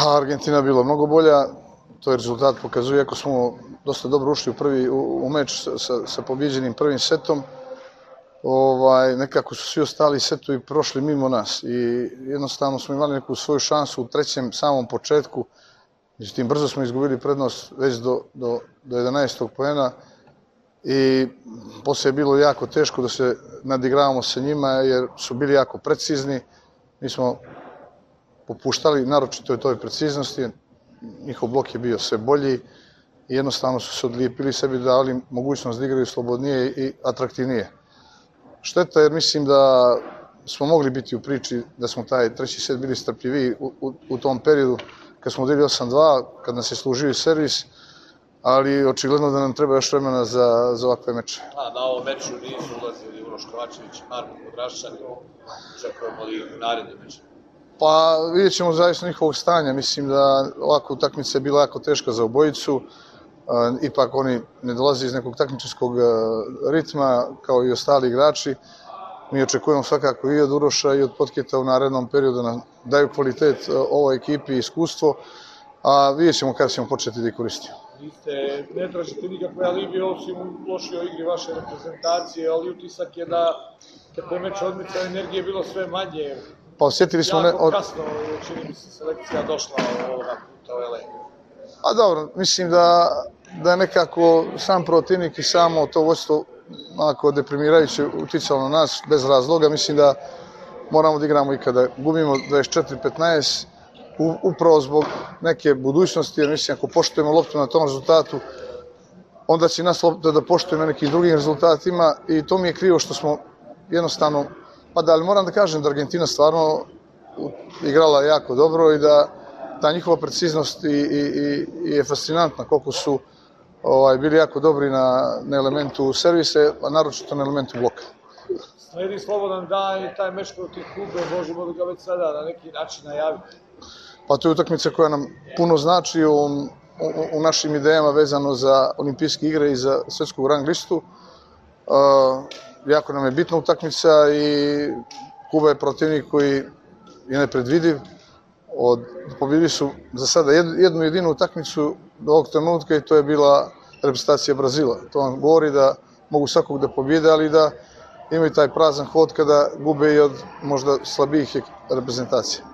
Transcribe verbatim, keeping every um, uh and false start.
Argentina je bila mnogo bolja, to je rezultat pokazuje, ako smo dosta dobro ušli u, prvi, u, u meč sa, sa pobjeđenim prvim setom, ovaj, nekako su svi ostali setovi prošli mimo nas i jednostavno smo imali neku svoju šansu u trećem samom početku, međutim brzo smo izgubili prednost već do, do, do jedanaestog poena i poslije je bilo jako teško da se nadigravamo sa njima jer su bili jako precizni, mi smo popuštali, naročito je toj preciznosti, njihov blok je bio sve bolji i jednostavno su se odlijepili sebi, dali mogućnost da igraju slobodnije i atraktivnije. Šteta jer mislim da smo mogli biti u priči, da smo taj treći set bili strpljiviji u, u, u tom periodu kad smo vodili osam dva, kad nas je služio i servis, ali očigledno da nam treba još vremena za, za ovakve meče. A, na ovom meču nisu ulazili Uroš Kovačević i Marko Podraščan, očekujemo li u narednim mečima? Pa vidjet ćemo zavisno njihovog stanja. Mislim da ovakva utakmica je bila jako teška za obojicu. Ipak oni ne dolaze iz nekog takmičarskog ritma kao i ostali igrači. Mi očekujemo svakako i od Uroša i od Potketa u narednom periodu da daju kvalitet ovoj ekipi i iskustvo, a vidjet ćemo kada ćemo početi da ih koristimo. Niste, ne tražite nikakve alibi osim u lošoj igri vaše reprezentacije, ali utisak je da te meča odmica energije je bilo sve manje. Pa osjetili smo... Jako kasno, čini mi se, selekcija došla ovoga puta u L A. A dobro, mislim da, da je nekako sam protivnik i samo to vodstvo onako deprimirajuće uticalo na nas bez razloga. Mislim da moramo da igramo i kada gubimo dvadeset četiri petnaest, upravo zbog neke budućnosti, jer mislim ako poštujemo loptu na tom rezultatu, onda će nas lopta da poštujemo nekim drugim rezultatima i to mi je krivo što smo jednostavno, pa da, ali moram da kažem da Argentina stvarno igrala jako dobro i da ta njihova preciznost i, i, i je fascinantna koliko su ovaj, bili jako dobri na, na elementu servise, a naročito na elementu bloka. Sledi slobodan dan i taj meč protiv Kube, možemo li ga već sada na neki način najaviti? Pa to je utakmica koja nam puno znači u, u, u našim idejama vezano za olimpijske igre i za svetsku rang listu. Uh, jako nam je bitna utakmica i Kuba je protivnik koji je nepredvidiv. Od, pobjedili su za sada jednu jedinu utakmicu do ovog trenutka i to je bila reprezentacija Brazila. To vam govori da mogu svakog da pobjede, ali da imaju taj prazan hod kada gube i od možda slabijih reprezentacija.